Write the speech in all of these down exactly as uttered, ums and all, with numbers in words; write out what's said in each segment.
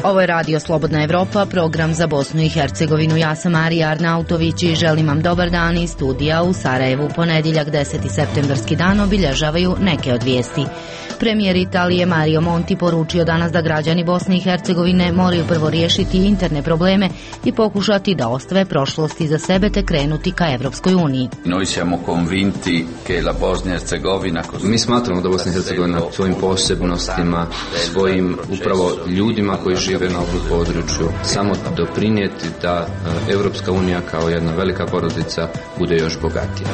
Ovo je Radio Slobodna Evropa, program za Bosnu i Hercegovinu. Ja sam Marija Arnautović i želim vam dobar dan iz studija u Sarajevu. Ponedjeljak deseti septembarski dan obilježavaju neke od vijesti. Premijer Italije Mario Monti poručio danas da građani Bosne i Hercegovine moraju prvo riješiti interne probleme i pokušati da ostave prošlost iza sebe te krenuti ka Evropskoj uniji. Mi smatramo da Bosna i Hercegovina svojim posebnostima, svojim upravo ljudima koji žive na ovom području samo doprinijeti da Evropska unija kao jedna velika porodica bude još bogatija.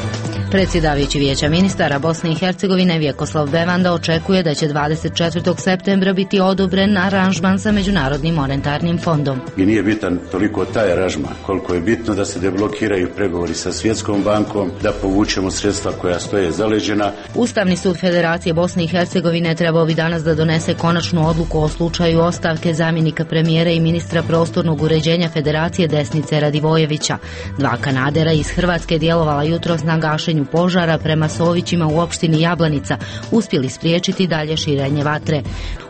Predsjedavajući Vijeća ministara Bosne i Hercegovine Vjekoslav Bevanda očekuje da će dvadeset četvrtog septembra biti odobren aranžman sa Međunarodnim monetarnim fondom. I nije bitan toliko taj aranžman, koliko je bitno da se deblokiraju pregovori sa Svjetskom bankom, da povučemo sredstva koja stoje zaleđena. Ustavni sud Federacije Bosne i Hercegovine trebao bi danas da donese konačnu odluku o slučaju ostavke zamjenika premijera i ministra prostornog uređenja Federacije Desnice Radivojevića. Dva kanadera iz Hrvatske djelovala jutros na gašenju požara prema Sovićima u opštini Jablanica, uspjeli spriječiti dalje širenje vatre.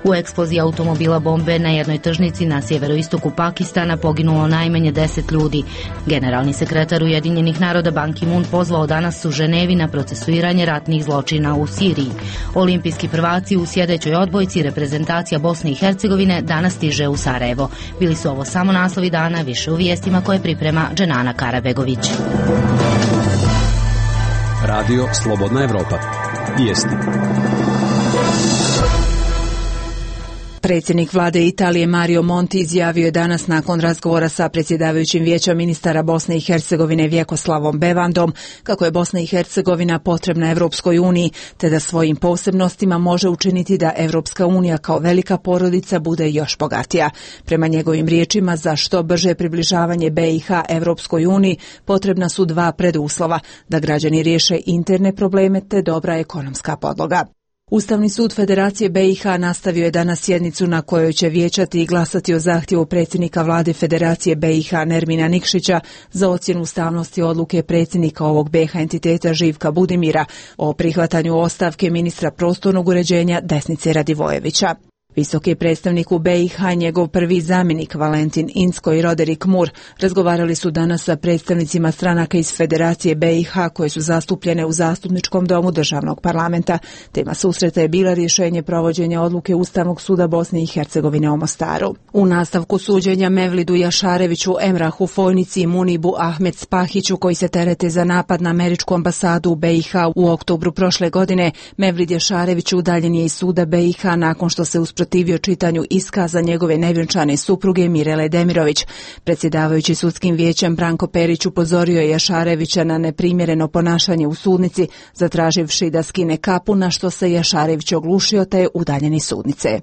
U eksploziji automobila bombe na jednoj tržnici na sjeveroistoku Pakistana poginulo najmanje deset ljudi. Generalni sekretar Ujedinjenih naroda Ban Ki-moon pozvao danas u Ženevi na procesuiranje ratnih zločina u Siriji. Olimpijski prvaci u sjedećoj odbojci reprezentacija Bosne i Hercegovine danas stiže u Sarajevo. Bili su ovo samo naslovi dana, više u vijestima koje priprema Dženana Karabegović. Radio Slobodna Evropa. Vijesti. Predsjednik vlade Italije Mario Monti izjavio je danas nakon razgovora sa predsjedavajućim Vijeća ministara Bosne i Hercegovine Vjekoslavom Bevandom kako je Bosna i Hercegovina potrebna Evropskoj uniji, te da svojim posebnostima može učiniti da Evropska unija kao velika porodica bude još bogatija. Prema njegovim riječima, za što brže približavanje B i H Evropskoj uniji potrebna su dva preduslova, da građani riješe interne probleme te dobra ekonomska podloga. Ustavni sud Federacije B i H nastavio je danas sjednicu na kojoj će vijećati i glasati o zahtjevu predsjednika vlade Federacije B i H Nermina Nikšića za ocjenu ustavnosti odluke predsjednika ovog B i H entiteta Živka Budimira o prihvatanju ostavke ministra prostornog uređenja Desnice Radivojevića. Visoki predstavnik u B i H, njegov prvi zamjenik Valentin Incko i Roderick Moore razgovarali su danas sa predstavnicima stranaka iz Federacije B i H koje su zastupljene u zastupničkom domu državnog parlamenta. Tema susreta je bila rješenje provođenja odluke Ustavnog suda Bosne i Hercegovine u Mostaru. U nastavku suđenja Mevlidu Jašareviću, Emrahu Fojnici i Munibu Ahmed Spahiću koji se terete za napad na američku ambasadu u B i H u oktobru prošle godine, Mevlid Jašarević udaljen je iz suda B i H nakon što se usprotivio čitanju iskaza njegove nevjenčane supruge Mirele Demirović. Predsjedavajući sudskim vijećem Branko Perić upozorio je Jašarevića na neprimjereno ponašanje u sudnici, zatraživši da skine kapu, na što se Jašarević oglušio te je udaljen iz sudnice.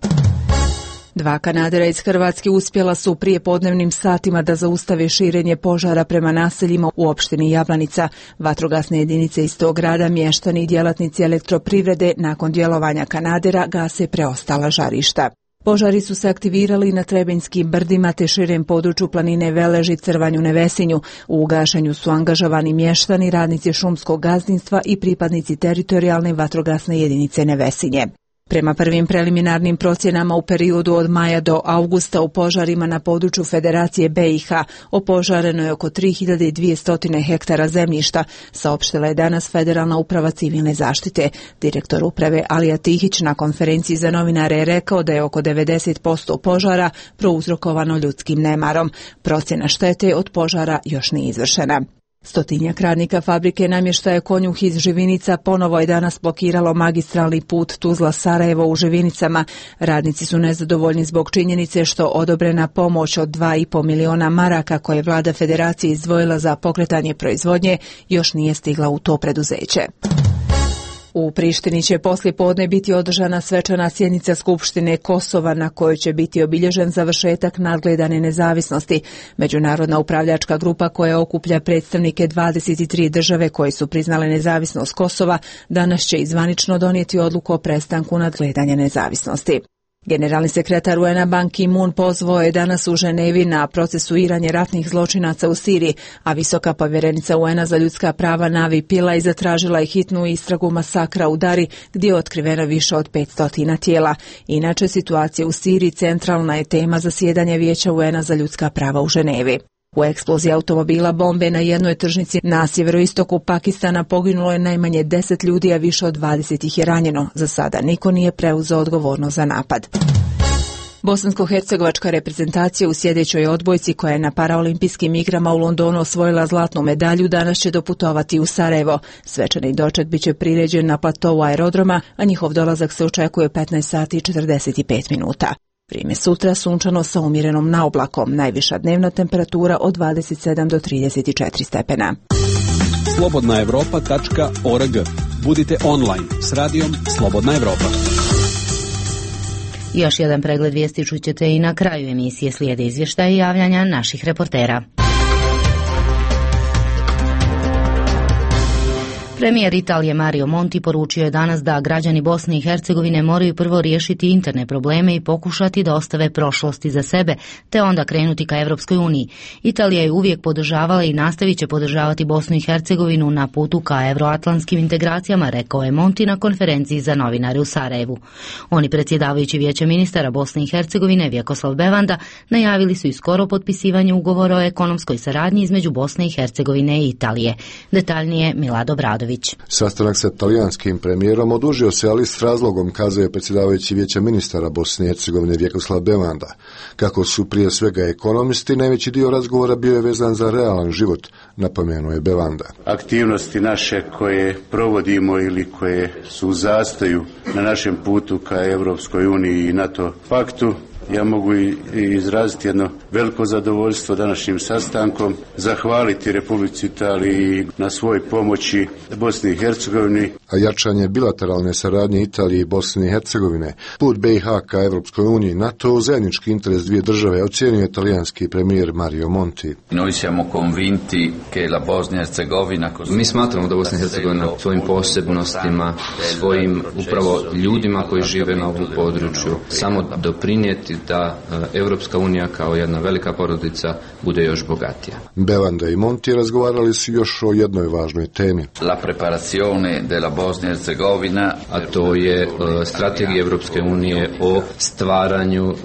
Dva kanadera iz Hrvatske uspjela su prije podnevnim satima da zaustave širenje požara prema naseljima u opštini Jablanica. Vatrogasne jedinice iz tog grada, mještani i djelatnici elektroprivrede nakon djelovanja kanadera gase preostala žarišta. Požari su se aktivirali na Trebenjskim brdima te širem području planine Veleži, Crvanju, Nevesinju. U gašenju su angažovani mještani, radnici šumskog gazdinstva i pripadnici teritorijalne vatrogasne jedinice Nevesinje. Prema prvim preliminarnim procjenama u periodu od maja do augusta u požarima na području Federacije B i H opožareno je oko tri hiljade dvjesto hektara zemljišta, saopštila je danas Federalna uprava civilne zaštite. Direktor uprave Alija Tihić na konferenciji za novinare je rekao da je oko devedeset posto požara prouzrokovano ljudskim nemarom. Procjena štete od požara još nije izvršena. Stotinjak radnika fabrike namještaja Konjuh iz Živinica ponovo je danas blokiralo magistralni put Tuzla-Sarajevo u Živinicama. Radnici su nezadovoljni zbog činjenice što odobrena pomoć od dva i pol miliona maraka koje je vlada Federacije izdvojila za pokretanje proizvodnje još nije stigla u to preduzeće. U Prištini će poslijepodne biti održana svečana sjednica Skupštine Kosova na kojoj će biti obilježen završetak nadgledane nezavisnosti. Međunarodna upravljačka grupa koja okuplja predstavnike dvadeset tri države koje su priznale nezavisnost Kosova danas će izvanično donijeti odluku o prestanku nadgledanja nezavisnosti. Generalni sekretar U N A Ban Ki-moon pozvao je danas u Ženevi na procesuiranje ratnih zločinaca u Siriji, a visoka povjerenica U N A za ljudska prava Navi Pillay zatražila je hitnu istragu masakra u Dari, gdje je otkriveno više od petsto tijela. Inače, situacija u Siriji centralna je tema zasjedanja Vijeća U N A za ljudska prava u Ženevi. U eksploziji automobila bombe na jednoj tržnici na sjeveroistoku Pakistana poginulo je najmanje deset ljudi, a više od dvadeset ih je ranjeno. Za sada niko nije preuzeo odgovornost za napad. Bosansko-hercegovačka reprezentacija u sljedećoj odbojci, koja je na paraolimpijskim igrama u Londonu osvojila zlatnu medalju, danas će doputovati u Sarajevo. Svečani doček biće priređen na platovu aerodroma, a njihov dolazak se očekuje petnaest sati i četrdeset pet minuta. Vrijeme sutra sunčano sa umjerenom naoblakom, najviša dnevna temperatura od dvadeset sedam do trideset četiri stepena. slobodna europa tačka org. Budite online s radijom Slobodna Evropa. Još jedan pregled vijesti čućete i na kraju emisije, slijede izvještaje i javljanja naših reportera. Premijer Italije Mario Monti poručio je danas da građani Bosne i Hercegovine moraju prvo riješiti interne probleme i pokušati da ostave prošlosti za sebe, te onda krenuti ka Evropskoj uniji. Italija je uvijek podržavala i nastavit će podržavati Bosnu i Hercegovinu na putu ka euroatlantskim integracijama, rekao je Monti na konferenciji za novinare u Sarajevu. Oni, predsjedavajući Vijeća ministara Bosne i Hercegovine Vjekoslav Bevanda, najavili su i skoro potpisivanje ugovora o ekonomskoj saradnji između Bosne i Hercegovine i Italije. Detaljnije Milado Bradović. Sastanak sa talijanskim premijerom odužio se, ali s razlogom, kazuje predsjedavajući Vijeća ministara Bosne i Hercegovine Vjekoslav Bevanda. Kako su prije svega ekonomisti, najveći dio razgovora bio je vezan za realan život, napomenuo je Bevanda. Aktivnosti naše koje provodimo ili koje su u zastoju na našem putu ka Europskoj uniji i NATO paktu, ja mogu i izraziti jedno veliko zadovoljstvo današnjim sastankom, zahvaliti Republici Italiji na svoj pomoći Bosni i Hercegovini. A jačanje bilateralne saradnje Italije i Bosne i Hercegovine, put B i H ka Evropskoj uniji, NATO u zajednički interes dvije države, ocjenio je talijanski premijer Mario Monti. Noi siamo convinti che la Bosnia e Hercegovina... Mi smatramo da Bosna i Hercegovina svojim posebnostima, svojim upravo ljudima koji žive na ovom području, samo doprinijeti da Evropska unija kao jedna velika porodica bude još bogatija. Bevanda i Monti razgovarali su još o jednoj važnoj temi. La preparazione della Bosnia e Hercegovina, a to je uh, strategija Evropske unije o stvaranju uh,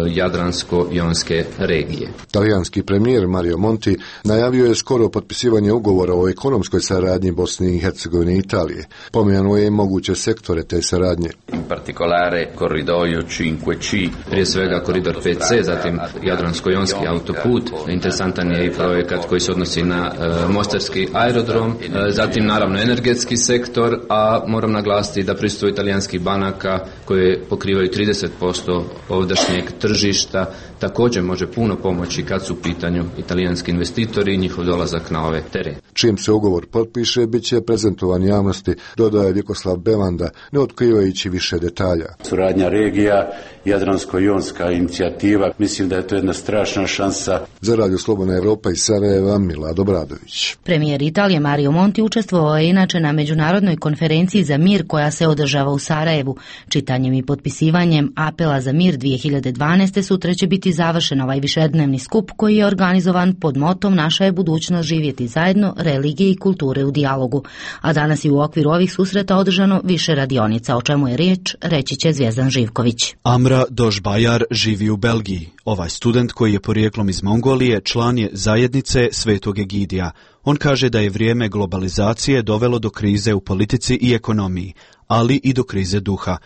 Jadransko-jonske regije. Talijanski premijer Mario Monti najavio je skoro potpisivanje ugovora o ekonomskoj saradnji Bosne i Hercegovine i Italije. Pomenuo je i moguće sektore te saradnje. In particolare corridoio cinque C. Prije svega koridor pet C, zatim Jadransko-jonski autoput. Interesantan je i projekat koji se odnosi na uh, mostarski aerodrom, uh, zatim naravno energetski sektor, a moram naglasiti da prisustvo italijanskih banaka koje pokrivaju trideset posto ovdašnjeg tržišta također može puno pomoći kad su u pitanju italijanski investitori i njihov dolazak na ove terene. Čim se ugovor potpiše, bit će prezentovan javnosti, dodaje Vjekoslav Bevanda, ne otkrivajući više detalja. Suradnja regija, Jadransko-jonska inicijativa, mislim da je to jedna strašna šansa. Za Radio Slobodna Evropa iz Sarajeva, Milado Bradović. Premijer Italije Mario Monti učestvovao je inače na međunarodnoj konferenciji za mir koja se održava u Sarajevu. Čitanjem i potpisivanjem apela za mir dvije hiljade dvanaeste sutra će biti završen ovaj višednevni skup koji je organizovan pod motom Naša je budućnost živjeti zajedno, religije i kulture u dijalogu. A danas je u okviru ovih susreta održano više radionica, o čemu je riječ, reći će Zvjezdan Živković. Amra Dožbajar živi u Belgiji. Ovaj student, koji je porijeklom iz Mongolije, član je zajednice Svetog Egidija. On kaže da je vrijeme globalizacije dovelo do krize u politici i ekonomiji, ali i do krize duha.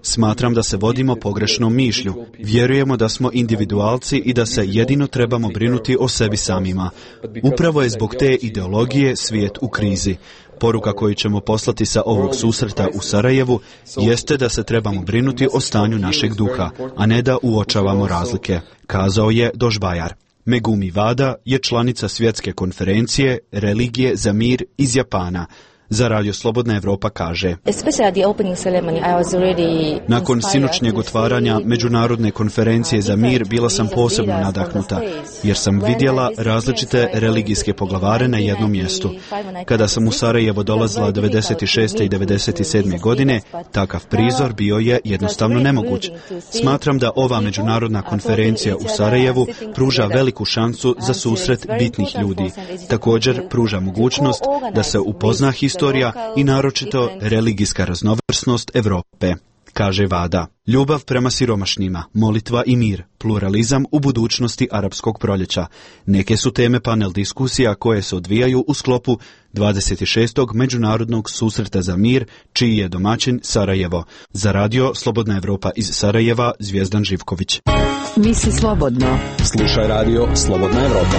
Smatram da se vodimo pogrešnom mišlju. Vjerujemo da smo individualci i da se jedino trebamo brinuti o sebi samima. Upravo je zbog te ideologije svijet u krizi. Poruka koju ćemo poslati sa ovog susreta u Sarajevu jeste da se trebamo brinuti o stanju našeg duha, a ne da uočavamo razlike, kazao je Dožbajar. Megumi Wada je članica svjetske konferencije Religije za mir iz Japana. Za Radio Slobodna Evropa kaže: nakon sinoćnjeg otvaranja Međunarodne konferencije za mir bila sam posebno nadahnuta, jer sam vidjela različite religijske poglavare na jednom mjestu. Kada sam u Sarajevo dolazila devedeset šeste i devedeset sedme godine, takav prizor bio je jednostavno nemoguć. Smatram da ova međunarodna konferencija u Sarajevu pruža veliku šansu za susret bitnih ljudi. Također pruža mogućnost da se upozna historija i naročito religijska raznovrsnost Europe, kaže Vada. Ljubav prema siromašnima, molitva i mir, pluralizam u budućnosti arapskog proljeća. Neke su teme panel diskusija koje se odvijaju u sklopu dvadeset šestog Međunarodnog susreta za mir, čiji je domaćin Sarajevo. Za Radio Slobodna Evropa iz Sarajeva, Zvijezdan Živković. Misli slobodno. Slušaj Radio Slobodna Evropa.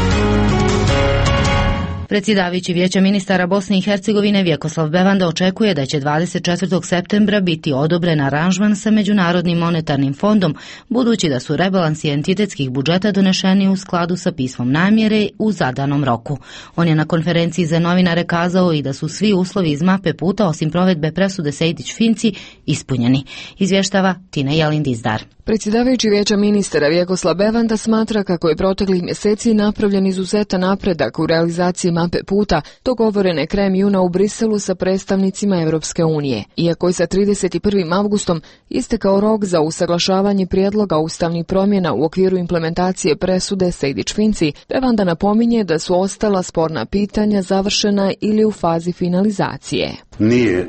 Predsjedavajući Vijeća ministara Bosne i Hercegovine Vjekoslav Bevanda očekuje da će dvadeset četvrtog septembra biti odobren aranžman sa Međunarodnim monetarnim fondom, budući da su rebalansi entitetskih budžeta donešeni u skladu sa pismom namjere u zadanom roku. On je na konferenciji za novinare kazao i da su svi uslovi iz mape puta, osim provedbe presude Sejdić-Finci, ispunjeni. Izvještava Tina Jelin-Dizdar. Predsjedavajući Vijeća ministara Vjekoslav Bevanda smatra kako je proteklih mjeseci napravljen izuzetan napredak u realizaciji mape puta, dogovorene krajem juna u Briselu sa predstavnicima Europske unije. Iako je sa trideset prvim avgustom istekao rok za usaglašavanje prijedloga ustavnih promjena u okviru implementacije presude Sejdić-Finci, Bevanda napominje da su ostala sporna pitanja završena ili u fazi finalizacije. Nije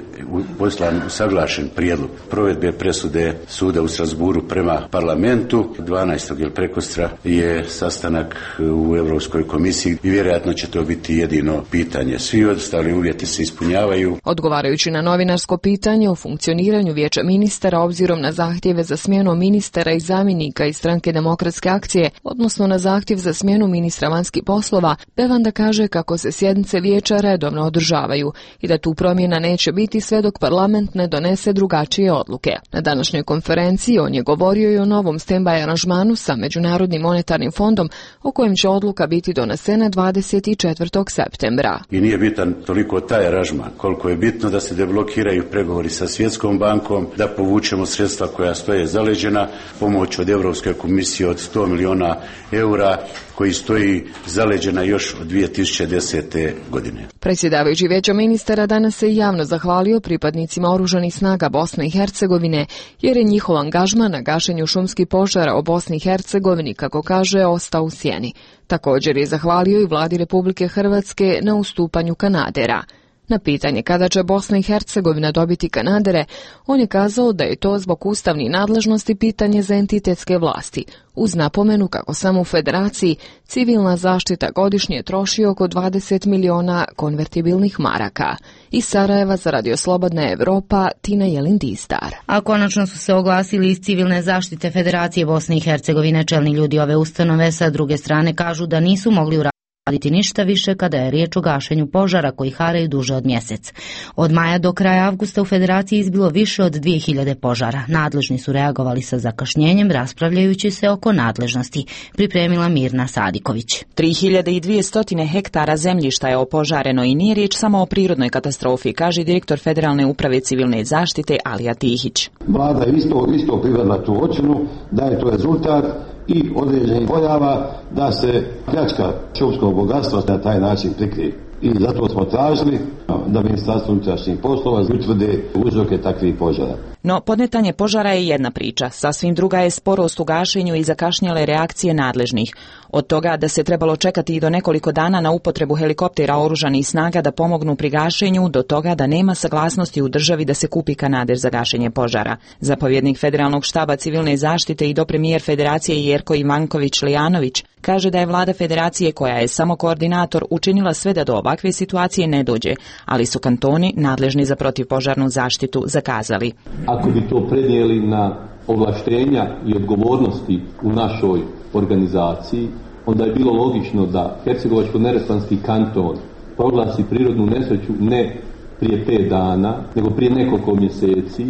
poslan usaglašen prijedlog provedbe presude suda u Strasburu prema parlamentu. dvanaestog ili prekostra je sastanak u Europskoj komisiji i vjerojatno će to biti jedino pitanje. Svi ostali uvjeti se ispunjavaju. Odgovarajući na novinarsko pitanje o funkcioniranju Vijeća ministara obzirom na zahtjeve za smjenu ministara i zamjenika iz Stranke demokratske akcije, odnosno na zahtjev za smjenu ministra vanjskih poslova, Bevanda kaže kako se sjednice vijeća redovno održavaju i da tu promjena neće biti sve dok parlament ne donese drugačije odluke. Na današnjoj konferenciji on je govorio i o novom stand-by aranžmanu sa Međunarodnim monetarnim fondom, o kojem će odluka biti donesena dvadeset četvrtog septembra. I nije bitan toliko taj aranžman, koliko je bitno da se deblokiraju pregovori sa Svjetskom bankom, da povučemo sredstva koja stoje zaleđena, pomoć od Europske komisije od sto milijuna eura, koji stoji zaleđena još od dvije tisuće desete. godine. Predsjedavajući Vijeća ministara danas se javno zahvalio pripadnicima oružanih snaga Bosne i Hercegovine, jer je njihov angažman na gašenju šumskih požara u Bosni i Hercegovini, kako kaže, ostao u sjeni. Također je zahvalio i vladi Republike Hrvatske na ustupanju kanadera. Na pitanje kada će Bosna i Hercegovina dobiti kanadere, on je kazao da je to zbog ustavnih nadležnosti pitanje za entitetske vlasti, uz napomenu kako samo u federaciji civilna zaštita godišnje troši oko dvadeset milijuna konvertibilnih maraka. Iz Sarajeva za Radio Slobodna Evropa, Tina Jelin-Dizdar. A konačno su se oglasili iz civilne zaštite Federacije Bosne i Hercegovine. Čelni ljudi ove ustanove sa druge strane kažu da nisu mogli uraditi raditi ništa više kada je riječ o gašenju požara koji haraju duže od mjesec. Od maja do kraja avgusta u Federaciji izbilo više od dvije hiljade požara. Nadležni su reagovali sa zakašnjenjem, raspravljajući se oko nadležnosti, pripremila Mirna Sadiković. tri hiljade dvjesto hektara zemljišta je opožareno i nije riječ samo o prirodnoj katastrofi, kaže direktor Federalne uprave civilne zaštite Alija Tihić. Vlada je isto, isto prihvatila tu ocjenu da je to rezultat i određenih pojava da se pljačka šumskog bogatstva na taj način prikrije. I zato smo tražili da Ministarstvo unutrašnjih poslova utvrde uzroke takvih požara. No, podmetanje požara je jedna priča. Sasvim druga je sporost u gašenju i zakašnjele reakcije nadležnih. Od toga da se trebalo čekati i do nekoliko dana na upotrebu helikoptera oružanih snaga da pomognu pri gašenju, do toga da nema saglasnosti u državi da se kupi kanader za gašenje požara. Zapovjednik Federalnog štaba civilne zaštite i dopremijer Federacije Jerko Ivanković-Lijanović kaže da je vlada Federacije, koja je samo koordinator, učinila sve da do ovakve situacije ne dođe, ali su kantoni nadležni za protivpožarnu zaštitu zakazali. Ako bi to prenijeli na ovlaštenja i odgovornosti u našoj organizaciji, onda je bilo logično da Hercegovačko-neretvanski kanton proglasi prirodnu nesreću ne prije pet dana, nego prije nekoliko mjeseci,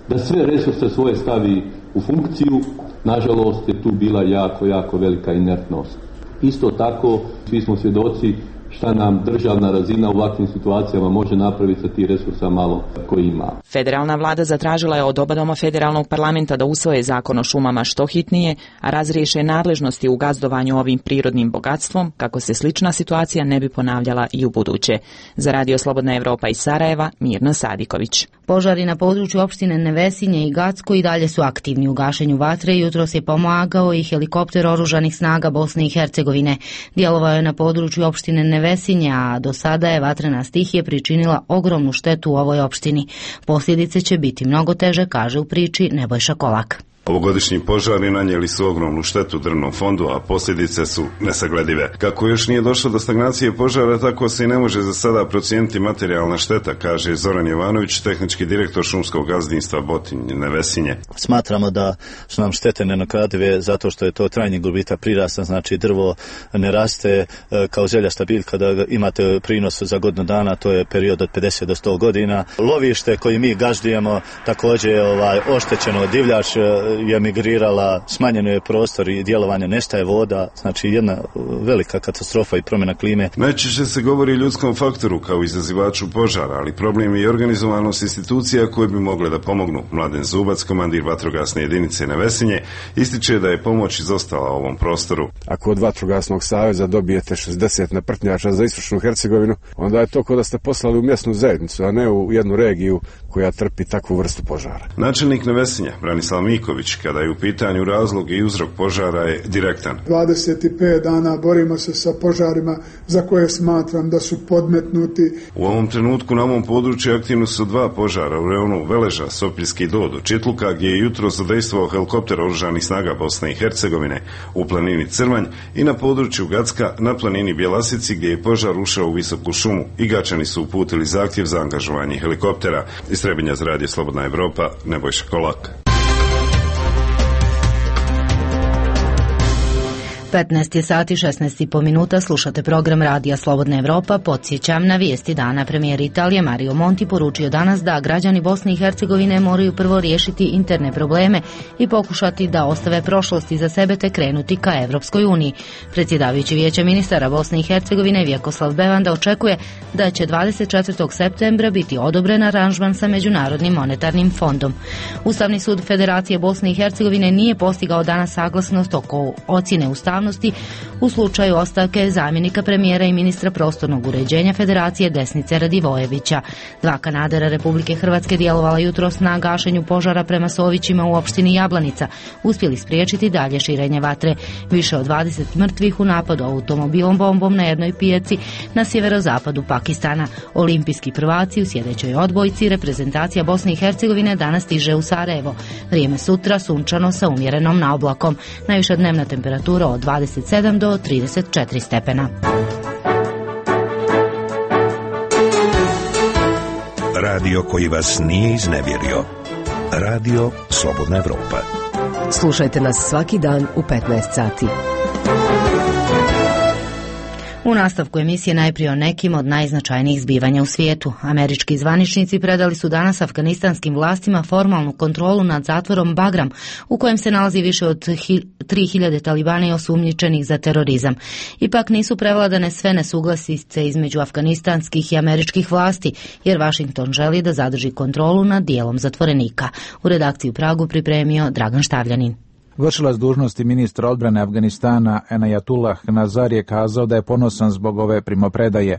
da sve resurse svoje stavi u funkciju. Nažalost je tu bila jako, jako velika inertnost. Isto tako, svi smo svjedoci šta nam državna razina u ovakvim situacijama može napraviti sa tih resursa malo koji ima. Federalna vlada zatražila je od oba doma federalnog parlamenta da usvoje zakon o šumama što hitnije, a razriješe nadležnosti u gazdovanju ovim prirodnim bogatstvom, kako se slična situacija ne bi ponavljala i u buduće. Za Radio Slobodna Evropa iz Sarajeva, Mirna Sadiković. Požari na području opštine Nevesinje i Gacko i dalje su aktivni u gašenju vatre. Jutros je pomagao i helikopter oružanih snaga Bosne i Hercegovine. Djelovao je na području opštine Nevesinje, a do sada je vatrena stihija pričinila ogromnu štetu u ovoj opštini. Posljedice će biti mnogo teže, kaže u priči Nebojša Kolak. Ovogodišnji požari nanijeli su ogromnu štetu drvnom fondu, a posljedice su nesagledive. Kako još nije došlo do stagnacije požara, tako se i ne može za sada procijeniti materijalna šteta, kaže Zoran Jovanović, tehnički direktor šumskog gazdinstva Botinj Nevesinje. Smatramo da su nam štete nenadoknadive zato što je to trajni gubitak prirasta, znači drvo ne raste kao željašta biljka, da imate prinos za godinu dana, to je period od pedeset do sto godina. Lovište koje mi gaždujemo također je ovaj, oštećeno, divljač je migrirala, smanjeno je prostor i djelovanje, nestaje voda, znači jedna velika katastrofa i promjena klime. Najčešće se govori o ljudskom faktoru kao izazivaču požara, ali problem je i organizovanost institucija koje bi mogle da pomognu. Mladen Zubac, komandir vatrogasne jedinice Nevesinje, ističe da je pomoć izostala ovom prostoru. Ako od vatrogasnog saveza dobijete šezdeset naprtnjača za istočnu Hercegovinu, onda je to kao da ste poslali u mjesnu zajednicu, a ne u jednu regiju koja trpi takvu vrstu požara. Načelnik Nevesinja, Branislav Miković, kada je u pitanju razlog i uzrok požara, je direktan. dvadeset pet dana borimo se sa požarima za koje smatram da su podmetnuti. U ovom trenutku na ovom području aktivno su dva požara u rejonu Veleža, Sopiljski Dodo, Čitluka, gdje je jutro zadejstvovao helikopter oružanih snaga Bosne i Hercegovine, u planini Crvanj i na području Gacka na planini Bjelasici, gdje je požar ušao u visoku šumu i Gačani su uputili zahtjev za angažovanje helikoptera. Iz Trebinja za Radio Slobodna Evropa, Nebojša Kolak. petnaest je sati šesnaest i po minuta, slušate program Radija Slobodna Evropa. Podsjećam na vijesti dana. Premijer Italije Mario Monti poručio danas da građani Bosne i Hercegovine moraju prvo riješiti interne probleme i pokušati da ostave prošlost iza sebe te krenuti ka Evropskoj uniji. Predsjedavajući Vijeća ministara Bosne i Hercegovine Vjekoslav Bevanda očekuje da će dvadeset četvrtog septembra biti odobren aranžman sa Međunarodnim monetarnim fondom. Ustavni sud Federacije Bosne i Hercegovine nije postigao danas saglasnost oko ocjene ustavnosti u slučaju ostavke zamjenika premijera i ministra prostornog uređenja Federacije Desnice Radivojevića. Dva kanadera Republike Hrvatske djelovala jutros na gašenju požara prema Sovićima u opštini Jablanica, uspjeli spriječiti dalje širenje vatre. Više od dvadeset mrtvih u napadu automobilom bombom na jednoj pijaci na sjeverozapadu Pakistana. Olimpijski prvaci u sjedećoj odbojci reprezentacija Bosne i Hercegovine danas stiže u Sarajevo. Vrijeme sutra sunčano sa umjerenom naoblakom. Najviša dnevna temperatura od dvadeset sedam do trideset četiri stepena. Radio koji vas nije iznevjerio. Radio Slobodna Evropa. Slušajte nas svaki dan u petnaest sati. U nastavku emisije najprije o nekim od najznačajnijih zbivanja u svijetu. Američki zvaničnici predali su danas afganistanskim vlastima formalnu kontrolu nad zatvorom Bagram, u kojem se nalazi više od tri hiljade talibana i osumnjičenih za terorizam. Ipak nisu prevladane sve nesuglasice između afganistanskih i američkih vlasti, jer Washington želi da zadrži kontrolu nad dijelom zatvorenika. U redakciji u Pragu pripremio Dragan Štavljanin. Vršilac dužnosti ministra odbrane Afganistana Enayatullah Nazar je kazao da je ponosan zbog ove primopredaje.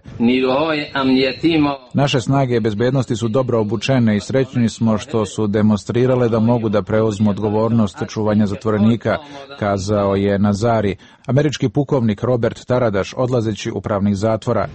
Naše snage bezbednosti su dobro obučene i srećni smo što su demonstrirale da mogu da preuzmu odgovornost čuvanja zatvorenika, kazao je Nazari. Američki pukovnik Robert Taradaš, odlazeći upravnih zatvora: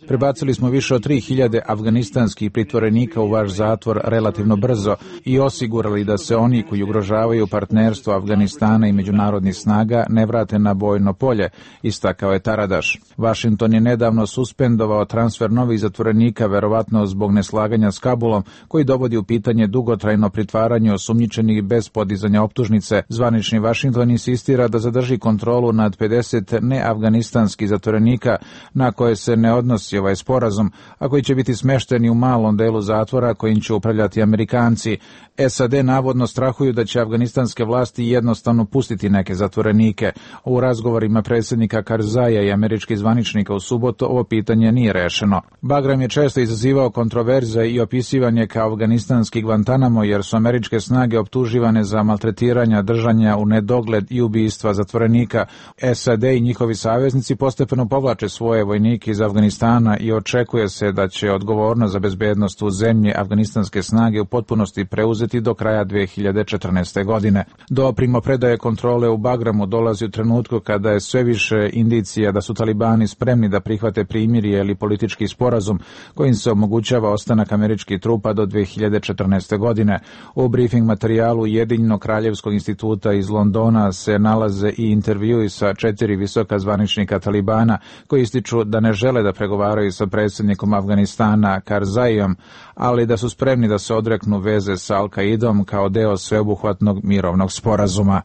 prebacili smo više od tri hiljade afganistanskih pritvorenika u vaš zatvor relativno brzo i osigurali da se oni koji ugrožavaju partnerstvo Afganistana i međunarodnih snaga ne vrate na bojno polje, istakao je Taradaš. Washington je nedavno suspendovao transfer novih zatvorenika, verovatno zbog neslaganja s Kabulom, koji dovodi u pitanje dugotrajno pritvaranje osumnjičenih bez podizanja optužnice. Zvanični Washington insistira da zadrži kontrolu nad pedeset neafganistanskih zatvorenika na koje se ne odnosi ovaj sporazum, a koji će biti smešteni u malom delu zatvora kojim će upravljati Amerikanci. S A D navodno strahuju da će će afganistanske vlasti jednostavno pustiti neke zatvorenike. U razgovorima predsjednika Karzaija i američkih zvaničnika u subotu ovo pitanje nije rešeno. Bagram je često izazivao kontroverze i opisivan je kao afganistanski Guantanamo jer su američke snage optuživane za maltretiranja, držanja u nedogled i ubistva zatvorenika. S A D i njihovi saveznici postepeno povlače svoje vojnike iz Afganistana i očekuje se da će odgovornost za bezbednost u zemlji afganistanske snage u potpunosti preuzeti do kraja dve hiljade četrnaeste. godine. Do primopredaje kontrole u Bagramu dolazi u trenutku kada je sve više indicija da su talibani spremni da prihvate primirje ili politički sporazum kojim se omogućava ostanak američkih trupa do dve hiljade četrnaeste. godine. U briefing materijalu Ujedinjenog kraljevskog instituta iz Londona se nalaze i intervjui sa četiri visoka zvaničnika talibana koji ističu da ne žele da pregovaraju sa predsjednikom Afganistana Karzaijom, ali da su spremni da se odreknu veze sa Al-Qaidom kao deo sveobuhvatnog mirovnog sporazuma.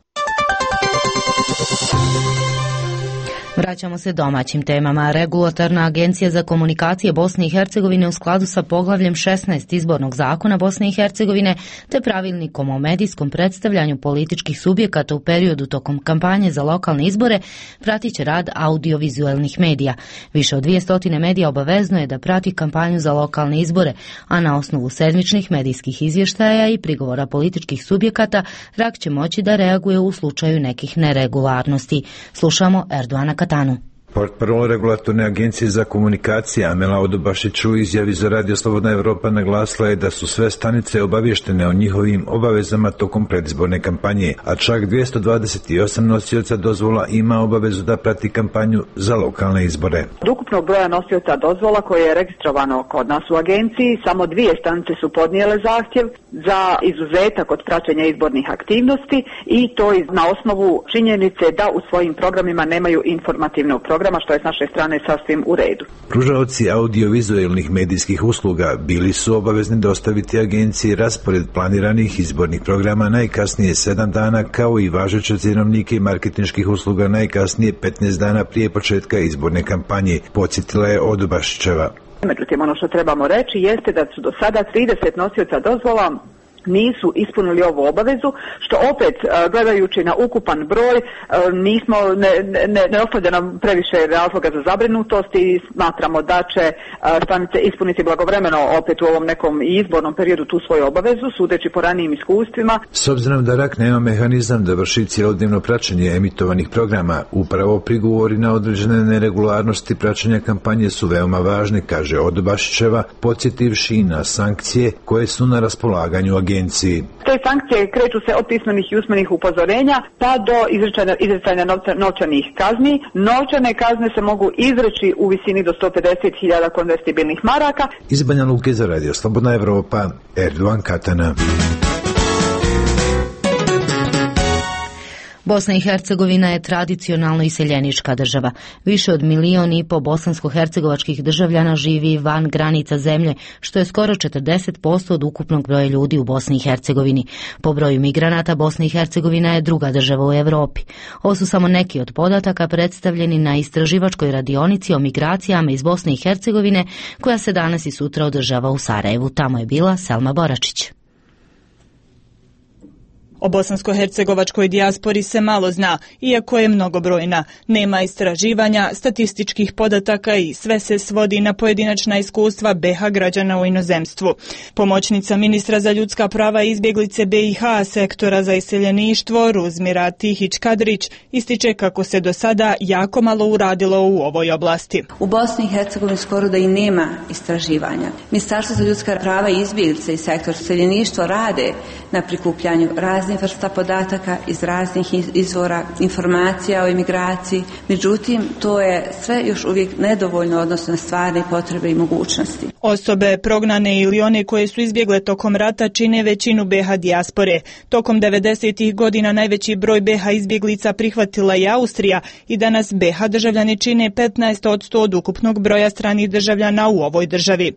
Vraćamo se domaćim temama. Regulatorna agencija za komunikacije Bosne i Hercegovine u skladu sa poglavljem šesnaest izbornog zakona Bosne i Hercegovine te pravilnikom o medijskom predstavljanju političkih subjekata u periodu tokom kampanje za lokalne izbore pratit će rad audiovizualnih medija. Više od dvije stotine medija obavezno je da prati kampanju za lokalne izbore, a na osnovu sedmičnih medijskih izvještaja i prigovora političkih subjekata R A K će moći da reaguje u slučaju nekih neregularnosti. Slušamo Erdoana Katanu. Portparol regulatorne agencije za komunikacije Amela Odobašić u izjavi za Radio Slobodna Evropa naglasila je da su sve stanice obavještene o njihovim obavezama tokom predizborne kampanje, a čak dvjesto dvadeset osam nosioca dozvola ima obavezu da prati kampanju za lokalne izbore. Od ukupnog broja nosioca dozvola koje je registrovano kod nas u agenciji, samo dvije stanice su podnijele zahtjev za izuzetak od praćenja izbornih aktivnosti i to na osnovu činjenice da u svojim programima nemaju informativnog programa, što je s naše strane sasvim u redu. Pružaoci audiovizualnih medijskih usluga bili su obavezni dostaviti agenciji raspored planiranih izbornih programa najkasnije sedam dana, kao i važeće cjenovnike i marketinških usluga najkasnije petnaest dana prije početka izborne kampanje, podsjetila je Odobašićeva. Međutim, ono što trebamo reći jeste da su do sada trideset nosioca dozvola nisu ispunili ovu obavezu, što opet gledajući na ukupan broj nismo, ne, ne, ne ostavlja nam previše razloga za zabrinutost i smatramo da će stanice ispuniti blagovremeno opet u ovom nekom izbornom periodu tu svoju obavezu, sudeći po ranijim iskustvima. S obzirom da R A K nema mehanizam da vrši cjelodnevno praćenje emitovanih programa, upravo prigovori na određene neregularnosti praćenja kampanje su veoma važni, kaže Odobašićeva, podsjetivši na sankcije koje su na raspolaganju agencije. Te sankcije kreću se od pismenih i usmenih upozorenja pa do izricanja, izricanja novca, novčanih kazni. Novčane kazne se mogu izreći u visini do sto pedeset hiljada konvertibilnih maraka. Iz Banja Luke za Radio Slobodna Evropa, Erdoan Katana. Bosna i Hercegovina je tradicionalno iseljenička država. Više od milion i po bosansko-hercegovačkih državljana živi van granica zemlje, što je skoro četrdeset posto od ukupnog broja ljudi u Bosni i Hercegovini. Po broju migranata Bosna i Hercegovina je druga država u Evropi. Ovo su samo neki od podataka predstavljeni na istraživačkoj radionici o migracijama iz Bosne i Hercegovine, koja se danas i sutra održava u Sarajevu. Tamo je bila Selma Boračić. O bosansko-hercegovačkoj dijaspori se malo zna, iako je mnogobrojna. Nema istraživanja, statističkih podataka i sve se svodi na pojedinačna iskustva B i H građana u inozemstvu. Pomoćnica ministra za ljudska prava i izbjeglice B i H sektora za iseljeništvo Ruzmira Tihić-Kadrić ističe kako se do sada jako malo uradilo u ovoj oblasti. U Bosni i Hercegovini skoro da i nema istraživanja. Ministarstvo za ljudska prava i izbjeglice i sektor iseljeništva rade na prikupljanju raznih vrsta podataka iz raznih izvora informacija o imigraciji, međutim to je sve još uvijek nedovoljno odnosno na stvarne potrebe i mogućnosti. Osobe prognane ili one koje su izbjegle tokom rata čine većinu B i H dijaspore. Tokom devedesetih godina najveći broj B i H izbjeglica prihvatila je Austrija i danas B i H državljani čine petnaest posto od ukupnog broja stranih državljana u ovoj državi.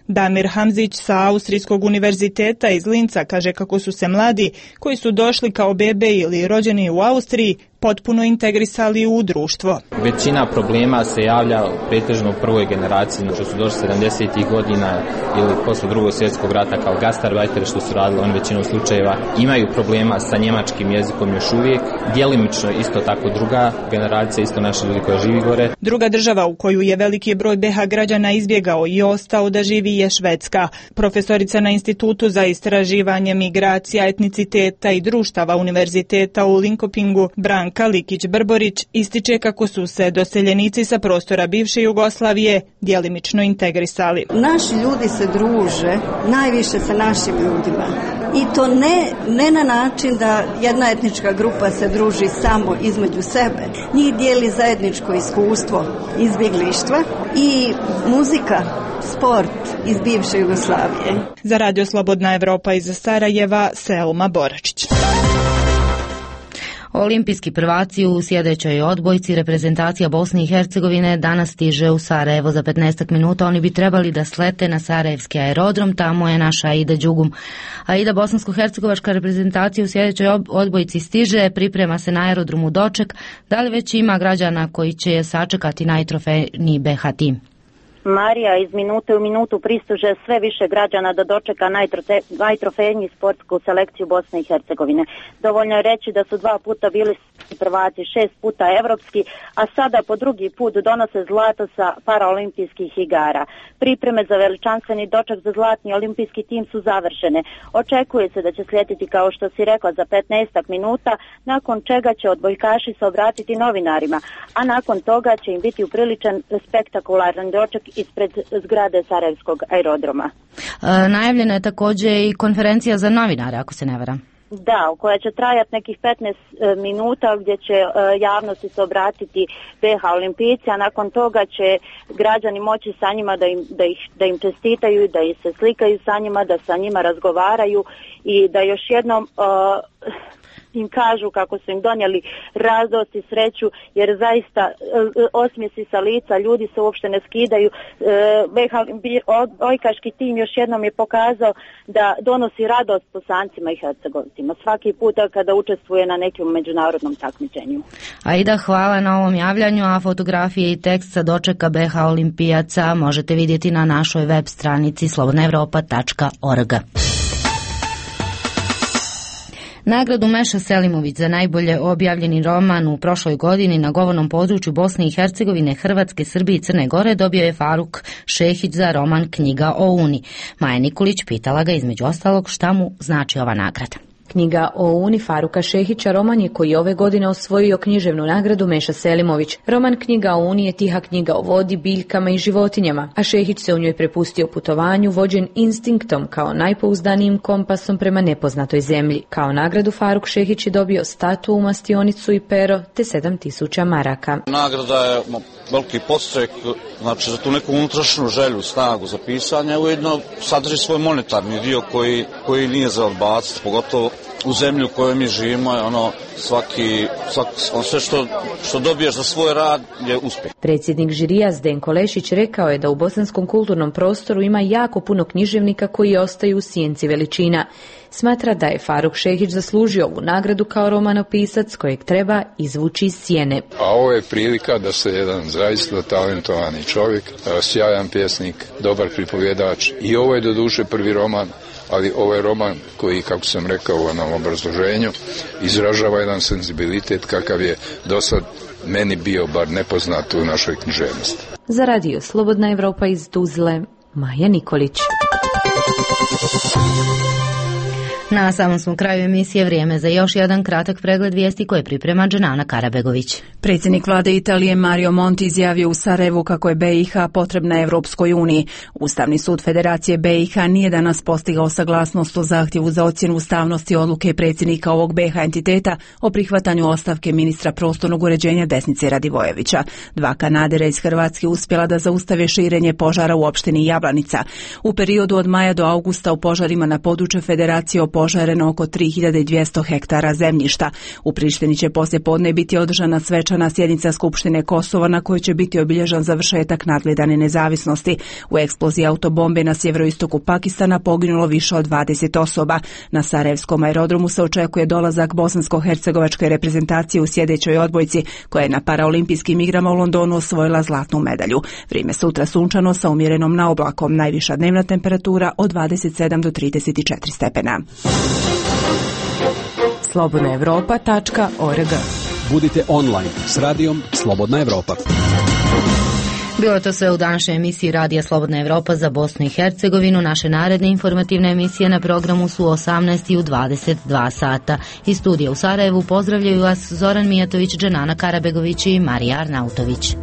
Damir Hamzić sa Austrijskog univerziteta iz Linca kaže kako su se mladi koji su došli kao bebe ili rođeni u Austriji potpuno integrisali u društvo. Većina problema se javlja pretežno u prvoj generaciji, što su došli sedamdesetih godina ili posle drugog svjetskog rata kao gastarbajteri što su radili, oni većinom slučajeva imaju problema sa njemačkim jezikom još uvijek. Djelimično isto tako druga generacija, isto naši ljudi koji živi gore. Druga država u koju je veliki broj be ha građana izbjegao i ostao da živi je Švedska. Profesorica na Institutu za istraživanje migracija, etniciteta i društava Univerziteta u Linkopingu Branka Likić-Brborić ističe kako su se doseljenici sa prostora bivše Jugoslavije djelimično integrisali. Naši ljudi se druže najviše sa našim ljudima i to ne, ne na način da jedna etnička grupa se druži samo između sebe. Njih dijeli zajedničko iskustvo izbjeglištva i muzika, sport iz bivše Jugoslavije. Za Radio Slobodna Evropa iz Sarajeva, Selma Boračić. Olimpijski prvaci u sjedećoj odbojci reprezentacija Bosne i Hercegovine danas stiže u Sarajevo za petnaest minuta. Oni bi trebali da slete na sarajevski aerodrom, tamo je naša Aida Đugum. Aida, bosansko-hercegovačka reprezentacija u sjedećoj odbojci stiže, priprema se na aerodromu doček. Da li već ima građana koji će je sačekati najtrofejniji be ha tim? Marija, iz minute u minutu pristuže sve više građana da dočeka najtrofejniji sportsku selekciju Bosne i Hercegovine. Dovoljno je reći da su dva puta bili prvaci, šest puta evropski, a sada po drugi put donose zlato sa paraolimpijskih igara. Pripreme za veličanstveni doček za zlatni olimpijski tim su završene. Očekuje se da će slijediti, kao što si rekla, za petnaest minuta, nakon čega će odbojkaši se obratiti novinarima, a nakon toga će im biti upriličan spektakularan doček ispred zgrade Sarajevskog aerodroma. E, najavljena je također i konferencija za novinare, ako se ne varam. Da, koja će trajati nekih petnaest minuta, gdje će javnosti se obratiti be ha olimpijci, a nakon toga će građani moći sa njima da im, da ih, da im čestitaju, da ih se slikaju sa njima, da sa njima razgovaraju i da još jednom uh, im kažu kako su im donijeli radost i sreću, jer zaista osmijesi sa lica, ljudi se uopšte ne skidaju. Odbojkaški tim još jednom je pokazao da donosi radost Bosancima i Hercegovcima svaki puta kada učestvuje na nekom međunarodnom takmičenju. Aida, hvala na ovom javljanju, a fotografije i tekst sa dočeka be ha olimpijaca možete vidjeti na našoj web stranici slobodna evropa tačka org. Nagradu Meša Selimović za najbolje objavljeni roman u prošloj godini na govornom području Bosne i Hercegovine, Hrvatske, Srbije i Crne Gore dobio je Faruk Šehić za roman Knjiga o Uni. Maja Nikolić pitala ga između ostalog šta mu znači ova nagrada. Knjiga o Uni Faruka Šehića roman je koji ove godine osvojio književnu nagradu Meša Selimović. Roman Knjiga o Uni je tiha knjiga o vodi, biljkama i životinjama, a Šehić se u njoj prepustio putovanju vođen instinktom kao najpouzdanijim kompasom prema nepoznatoj zemlji. Kao nagradu Faruk Šehić je dobio statu, mastionicu i pero te sedam tisuća maraka. Nagrada je veliki podstrek, znači za tu neku unutrašnju želju, snagu za pisanje, ujedno sadrži svoj monetarni dio koji, koji nije za odbaciti, pogotovo u zemlju u kojoj mi živimo, je ono svaki, svaki, on sve što, što dobiješ za svoj rad je uspjeh. Predsjednik žirija Zdenko Lešić rekao je da u bosanskom kulturnom prostoru ima jako puno književnika koji ostaju u sjenci veličina. Smatra da je Faruk Šehić zaslužio ovu nagradu kao romanopisac kojeg treba izvući iz sjene. A ovo je prilika da se jedan zaista talentovani čovjek, sjajan pjesnik, dobar pripovjedač, i ovo je doduše prvi roman, ali ovo je roman koji, kako sam rekao u onom obrazloženju, izražava jedan senzibilitet kakav je dosad meni bio bar nepoznat u našoj književnosti. Za Radio Slobodna Evropa iz Tuzle, Maja Nikolić. Na samom smo kraju emisije, vrijeme za još jedan kratak pregled vijesti koje priprema Dženana Karabegović. Predsjednik vlade Italije Mario Monti izjavio u Sarajevu kako je be i ha potrebna Evropskoj uniji. Ustavni sud Federacije be i ha nije danas postigao saglasnost o zahtjevu za ocjenu ustavnosti odluke predsjednika ovog be ha entiteta o prihvatanju ostavke ministra prostornog uređenja Desnice Radivojevića. Dva kanadera iz Hrvatske uspjela da zaustave širenje požara u opštini Jablanica. U periodu od maja do augusta u požarima na području Federacije opožareno oko tri hiljade dvjesto hektara zemljišta. U Prištini će poslije podne biti održana svečana sjednica Skupštine Kosova na kojoj će biti obilježan završetak nadgledane nezavisnosti. U eksploziji autobombe na sjeveroistoku Pakistana poginulo više od dvadeset osoba. Na Sarajevskom aerodromu se očekuje dolazak bosansko-hercegovačke reprezentacije u sjedećoj odbojci koja je na paraolimpijskim igrama u Londonu osvojila zlatnu medalju. Vrijeme sutra sunčano sa umjerenom na oblakom, najviša dnevna temperatura od dvadeset sedam do trideset četiri stepena. slobodna europa tačka org. Budite online s radijom Slobodna Evropa. Bilo je to sve u današnjoj emisiji Radija Slobodna Evropa za Bosnu i Hercegovinu. Naše naredne informativne emisije na programu su u osamnaest i u dvadeset dva sata. Iz studija u Sarajevu pozdravljaju vas Zoran Mijatović, Dženana Karabegović i Marija Arnautović.